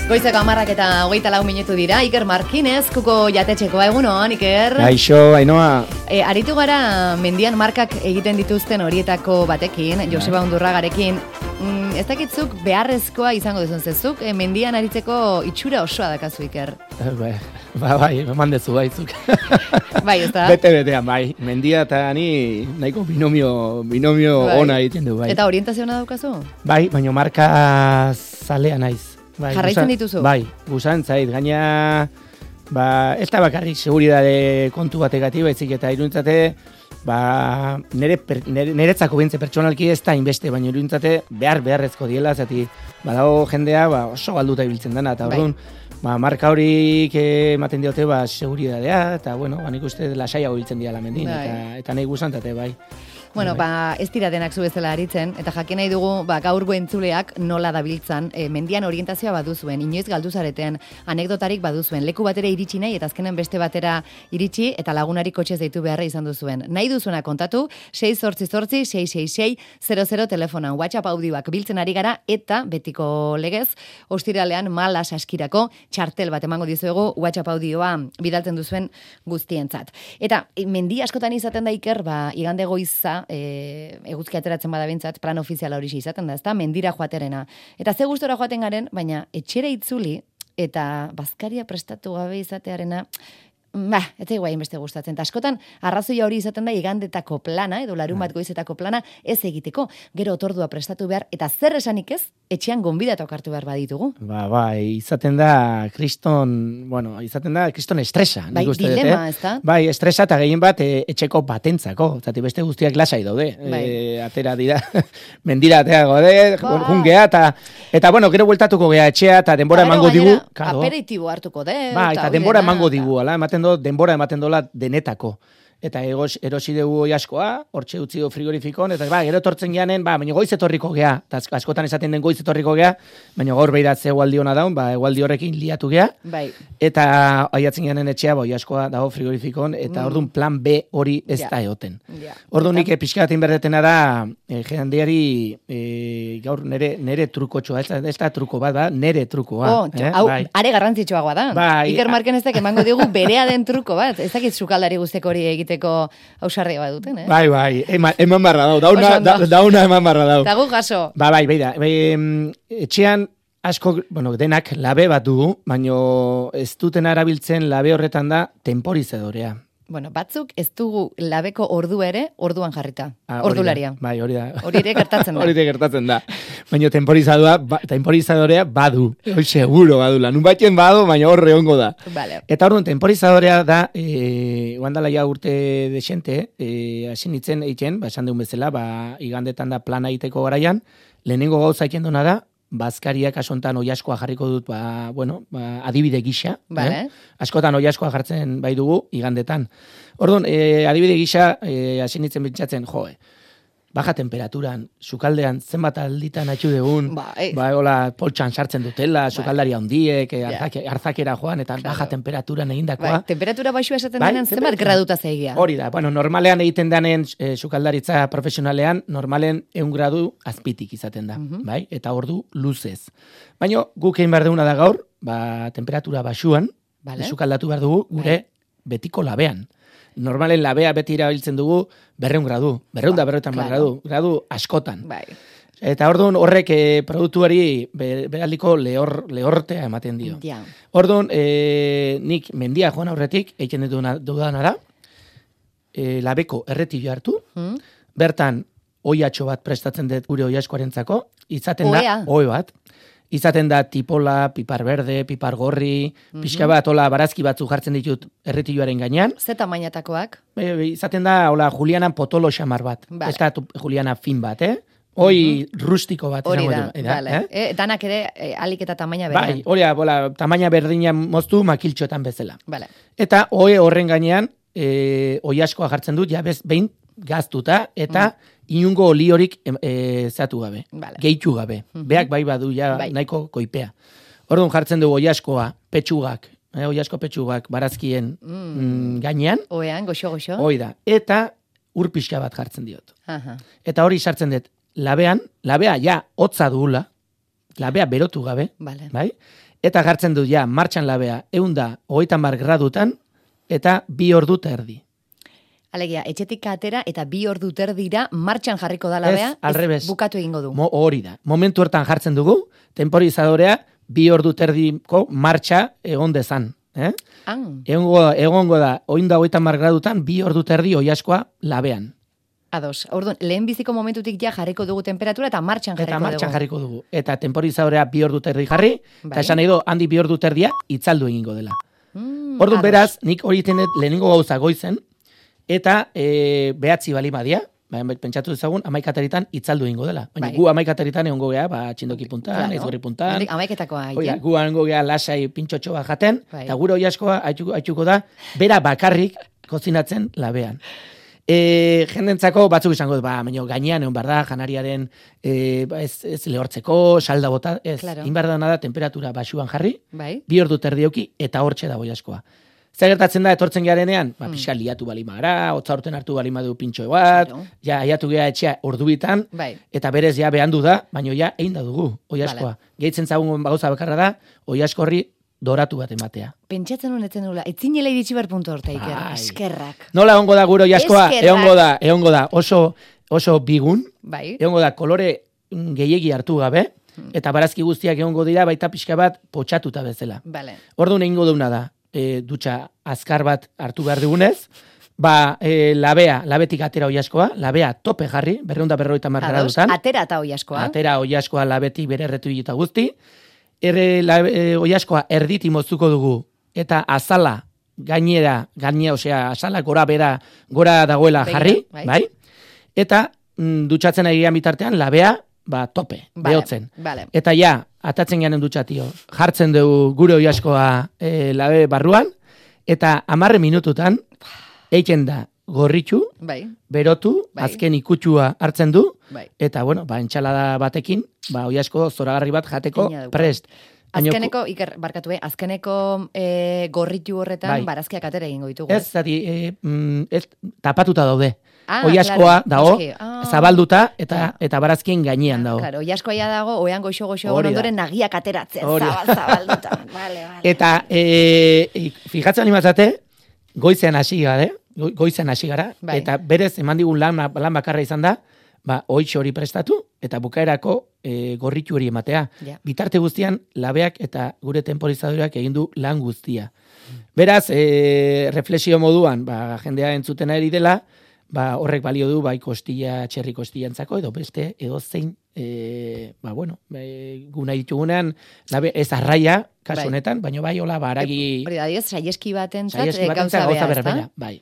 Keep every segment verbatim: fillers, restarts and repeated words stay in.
Goizeko hamarrak eta hogeita lau minutu dira. Iker Markinez, kuko jatetxekoa, egunon, Iker. Gaixo, Ainoa. E, aritu gara mendian markak egiten dituzten horietako batekin, Joseba Undurragarekin. Mm, ez dakitzuk beharrezkoa izango duzun zezuk, e, mendian aritzeko itxura osoa dakazu, Iker. Ba, ba, bai, eman dezu baitzuk. Bai, ez da? Bete-betean, bai. Mendia eta ni nahiko binomio, binomio bai. Ona egiten du, bai. Eta orientazioa daukazu? Bai, baina marka zalea naiz. Bai, jarraitzen dituzu? Bai, guzan zait, gaina, ba, ez da bakarrik seguridade kontu bategatik, baizik eta iruntzate, ba, nere, per, nere, neretzako bintze pertsonalki ez da inbeste, baina iruntzate behar beharrezko diela, zati, badago jendea, ba, oso galduta ibiltzen dena, eta orduan, ba, marka horik ematen diote, ba, seguridadea, eta, bueno, ba, nik uste lasaiago ibiltzen dira lamendin, eta, eta nahi guzantate, bai. Bueno, ba, ez dira denak zu bezala aritzen, eta jakin nahi dugu, ba, gaurgo entzuleak nola dabiltzan, e, mendian orientazioa baduzuen, inoiz galduzareten, anekdotarik baduzuen, leku batera iritsi nahi, eta azkenen beste batera iritsi, eta lagunari kotxez deitu beharra izan duzuen. Nahi duzuena kontatu, sei zortzi zortzi, sei sei sei, zero zero telefonan, WhatsApp audioak biltzen ari gara, eta betiko legez, ostiralean mala saskirako txartel bat emango dizuegu, WhatsApp audioa bidaltzen duzuen guztientzat. Eta, mendi askotan izaten da, Iker, ba, igande goiza, E, eguzki ateratzen bada bintzat, plan ofiziala hori izaten da, ezta? Mendira joaterena. Eta ze gustora joaten garen, baina etxera itzuli eta bazkaria prestatu gabe izatearena, ba, ez da iguain beste gustatzen. Ta askotan, arrazoia hori izaten da igandetako plana, edo larun bat goizetako plana, ez egiteko. Gero otordua prestatu behar, eta zer esanik ez, etxean gonbidatok hartu behar baditugu. Ba, bai, izaten da kriston, bueno, izaten da kriston estresa. Bai, dilema, ez da? Bai, estresa eta gehien bat e, etxeko batentzako. Zati beste guztiak lasai daude. Bai. E, atera dira, mendira atera gode, ba. Jungea, eta, eta bueno, gero bueltatuko gea etxea, eta denbora ba, emango digu. Aperitibo hartuko de. Ba, eta denbora emango digu, ala, ematen denbora ematen dola denetako. Eta egos, erosi dugu askoa, hortxe utzi du frigorifikon, eta ba, gero etortzen geanen, ba, baina goiz etorriko gea, eta askotan esaten den goiz etorriko gea, baina gaur behiratze egualdi hona daun, ba, egualdi horrekin liatu gea, bai. Eta aiatzen geanen etxea, ba, askoa dago frigorifikon, eta mm. orduan plan B hori ez ja. Da egoten. Ja. Orduan nik pixkatin berdetena da, e, jendeari, e, gaur nere, nere trukotxoa, ez da, ez da truko bat, da, nere trukoa. Oh, eh? Hau, bai. Are garrantzitsuagoa da. Bai. Iker Markinezek emango digu berea den truko bat, ez dakit sukaldari guzteko hori egite ausarria bat duten, eh? Bai, bai, eman, eman barra dau, dauna, da, dauna eman barra dau. Tagu jaso. Ba, bai, bai da, bai, etxean asko, bueno, denak labe bat dugu, baino ez duten arabiltzen labe horretan da temporizadorea. Bueno, batzuk ez dugu labeko ordu ere orduan jarrita. Ah, ordularia. Da, bai, hori da. Hori ere gertatzen da. Hori ere gertatzen da. Baina temporizadoa, ba, temporizadorea badu. Hoi seguro badula. Nun batien badu, baina horre hongo da. Vale. Eta orduan, temporizadorea da, e, guandala ja urte desente, e, asin itzen eitzen, ba, esan deun bezala, ba, igandetan da plana egiteko garaian, lehenengo gauza eiken duna da, bazkariak asontan oiaskoa jarriko dut, ba, bueno, ba, adibide gisa. Vale. Eh? Askotan oiaskoa jartzen bai dugu igandetan. Orduan, e, adibide gisa, e, asinitzen bintzatzen, joe, baja temperaturan, sukaldean zenbat alditan atxu degun, ba, eh. ba, hola, poltsan sartzen dutela, sukaldari handiek, yeah. arzak, arzakera joan, eta claro. Baja temperaturan egindakoa. Ba, temperatura baixua esaten bai, denean, zenbat graduta zeigia. Hori da, bueno, normalean egiten denen e, sukaldaritza profesionalean, normalen eun gradu azpitik izaten da, uh-huh. Bai? Eta ordu luzez. Baina guk egin behar duguna da gaur, ba, temperatura baxuan, vale. Sukaldatu behar dugu, gure bai. Betiko labean. Normalen labea beti irabiltzen dugu berreun gradu, berreun da berreun claro. gradu, gradu askotan. Bai. Eta orduan horrek e, produktuari beraldiko lehor, lehortea ematen dio. Ja. Orduan, e, nik mendia joan aurretik, egiten dudana da, e, labeko erretio hartu, hmm? Bertan oiatxo bat prestatzen dut gure oiaskoarentzako, izaten Oea. Da, oe bat, izaten da tipola, pipar berde, pipar gorri, mm-hmm. Pixka bat, hola, barazki batzu jartzen ditut erretioaren gainean. Ze tamainatakoak? E, izaten da, hola, Julianan potolo xamar bat. Vale. Ez da Juliana fin bat, eh? Hoi mm-hmm. Rustiko bat. Hori da, da vale. Eh? E, danak ere e, alik eta tamaina berdean. Bai, hori da, hola, tamaina berdina moztu makiltxoetan bezala. Vale. Eta hoe horren gainean, e, oiaskoa jartzen dut, ja bez, behin gaztuta, eta mm. inungo oli horik e, zatu gabe, vale. Gehitu gabe. Mm-hmm. Beak bai badu ja bai. Nahiko koipea. Orduan jartzen dugu oiaskoa, petxugak, eh, oiasko petxugak barazkien mm. Mm, gainean. Oean, goxo-goxo. Hoi da. Eta ur pixka bat jartzen diot. Aha. Eta hori sartzen dut, labean, labea ja hotza dugula, labea berotu gabe, vale. Bai? eta gartzen du ja martxan labea ehunda hogeita hamar gradutan eta bi ordu eta erdi. Alegia, etxetik atera eta bi ordu terdira martxan jarriko da labea, ez, alrebez, bukatu egingo du. Mo, hori da. Momentu hortan jartzen dugu, temporizadorea bi ordu terdiko martxa egon dezan. Eh? Egongo, egongo da, oinda hogeita hamar gradutan, bi ordu terdi oiaskoa labean. Ados, orduan, lehen biziko momentutik ja jarriko dugu temperatura eta martxan jarriko eta dugu. Eta martxan jarriko dugu. Eta temporizadorea bi ordu terdi jarri, bai. Eta esan nahi do, handi bi ordu terdia itzaldu egingo dela. Mm, orduan beraz, nik hori tenet lehenengo gauza goizen, eta e, behatzi bali badia, pentsatu dezagun, amaikateritan itzaldu egingo dela. Baina bai. Gu amaikateritan egongo gea, ba, txindoki puntan, claro. Aizgorri puntan. Amaiketakoa. Oia, gu egongo gea lasai pintxotxo bat jaten, bai. Eta gure oiaskoa haitxuko da, bera bakarrik kozinatzen labean. E, jendentzako batzuk izango, ba, baina gainean egon behar da, janariaren e, ez, ez lehortzeko, salda bota, ez, claro. Inbarda da, temperatura basuan jarri, bai. Bi ordu terdioki, eta hortxe da oiaskoa. Zer gertatzen da, etortzen garenean, ba, pixka liatu balima gara, hotza urten hartu balima du pintxo bat, claro. Ja, aiatu gea etxea ordubitan, bai. Eta berez ja behandu da, baina ja egin da dugu, oiaskoa. Vale. Gehitzen zagun gauza bakarra da, oiaskorri doratu bat ematea. Pentsatzen honetzen nula, etzinela iritsi bar puntu horta, Iker, eskerrak. Nola egongo da gure oiaskoa, egongo da, egongo da, oso, oso bigun, bai. Egongo da, kolore gehiegi hartu gabe, hmm. Eta barazki guztiak egongo dira, baita pixka bat potxatuta bezala. Vale. Orduan egingo duna da, E, dutxa azkar bat hartu behar dugunez, ba, e, labea, labetik atera oiaskoa, labea tope jarri, berreunda berroita marra dutan. Atera eta oiaskoa. Atera oiaskoa labetik bere erretu eta guzti. Erre labe, e, oiaskoa erditi moztuko dugu, eta azala gainera, gainera, osea, azala gora bera, gora dagoela jarri, bai. Bai? Eta mm, dutxatzen egian bitartean, labea, ba, tope, vale, behotzen. Vale. Eta ja, atatzen garen dutxatio, jartzen dugu gure oiaskoa e, labe barruan, eta hamarre minututan, eiken da gorritxu, bai. Berotu, bai. Azken ikutxua hartzen du, bai. Eta, bueno, ba, entxalada batekin, ba, oiasko zoragarri bat jateko prest. Azkeneko, Iker, barkatu, eh? Azkeneko e, gorritu horretan, bai. Barazkiak atera egingo ditugu. Ez, zati, e, mm, ez, tapatuta daude. Ah, oiaskoa claro. Dago, ah. Zabalduta eta eta barazkien gainean dago. Claro, oiaskoa ja dago, oean goxo-goxo ondoren nagiak ateratzen, zabal, zabalduta. Vale, vale. Eta, e, fijatzen animatzate, goizean hasi gara, goizean hasi gara, bai. Eta berez eman digun lan, lan bakarra izan da, ba, oitxo hori prestatu, eta bukaerako e, gorritu hori ematea. Ja. Bitarte guztian, labeak eta gure temporizadoreak egin du lan guztia. Beraz, e, reflexio moduan, ba, jendea entzuten ari dela, ba, horrek balio du, bai, kostilla, txerri kostilantzako, edo beste, edo zein, e, ba, bueno, e, guna ditugunean, labe, ez arraia, kasu honetan, bai. Baina bai, hola, baragi... Hori da, dioz, saieski batentzat, saieski batentzat gauza berbera, bai,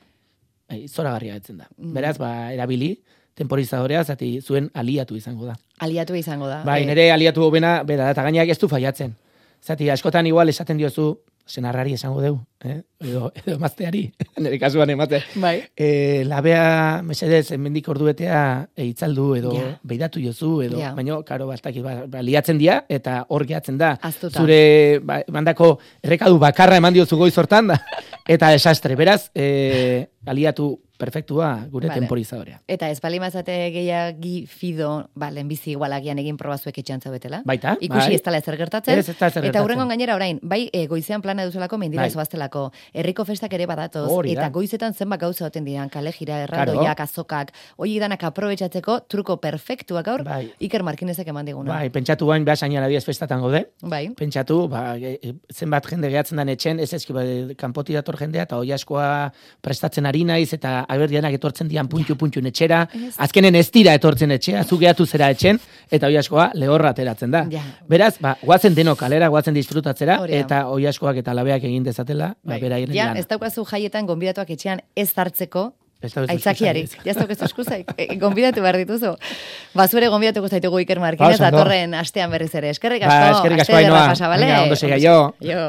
bai, zora garria betzen da. Mm. Beraz, ba, erabili, temporizadorea, zati zuen aliatu izango da. Aliatu izango da. Bai, nire aliatu bena, bera, eta gainak ez du faiatzen. Zati, askotan igual esaten diozu, senarrari esango deu, eh? edo, edo mazteari, nire kasuan emate. Bai. E, labea, mesedez, mendik orduetea e, itzaldu, edo yeah. Beidatu jozu, edo, yeah. Baina, karo, bastak, ba, ba, liatzen dia, eta hor gehatzen da. Aztuta. Zure, ba, mandako, errekadu bakarra eman diozu goiz hortan da, eta desastre. Beraz, e, aliatu perfektua gure vale. Temporizadorea. Eta ez bali mazate gehiagi fido, ba, lehenbizi igualagian egin probazuek etxantza betela. Baita. Ikusi bai. Ez tala ezer gertatzen. Ez, ez tala ezer gertatzen. Eta hurrengon gainera orain, bai e, goizean plana duzulako mendira bai. Zoaztelako, herriko festak ere badatoz, Hori, eta da. Goizetan zenbat gauza oten diran, kale jira, erraldoiak, azokak, hori danak aprobetxatzeko, truko perfektuak gaur, bai. Iker Markinezek eman diguna. Bai, pentsatu bain, behar sainara diez festatan gaude. Bai. Pentsatu, ba, zenbat jende gehatzen dan etxen, ez ezki, ba, kanpoti dator jendea, eta oiaskoa prestatzen ari naiz, eta aberdianak etortzen dian puntu-puntu etxera, yes. Azkenen ez dira etortzen etxea, zu gehatu zera etxen, eta oiaskoa lehorra ateratzen da. Ja. Beraz, ba, guazen denok kalera, guazen disfrutatzera, Oria. Eta oiaskoak eta labeak egin dezatela, ba, bera iren ja, ez daukazu jaietan gonbidatuak etxean ez hartzeko, aitzakiari. Ja ez daukazu eskuzaik, gonbidatu behar dituzu. Bazure gonbidatuko zaitugu Iker Markinez, datorren astean berriz ere. Eskerrik asko, ba, eskerrik asko, Ainoa. Venga, ondo sega, jo. Jo.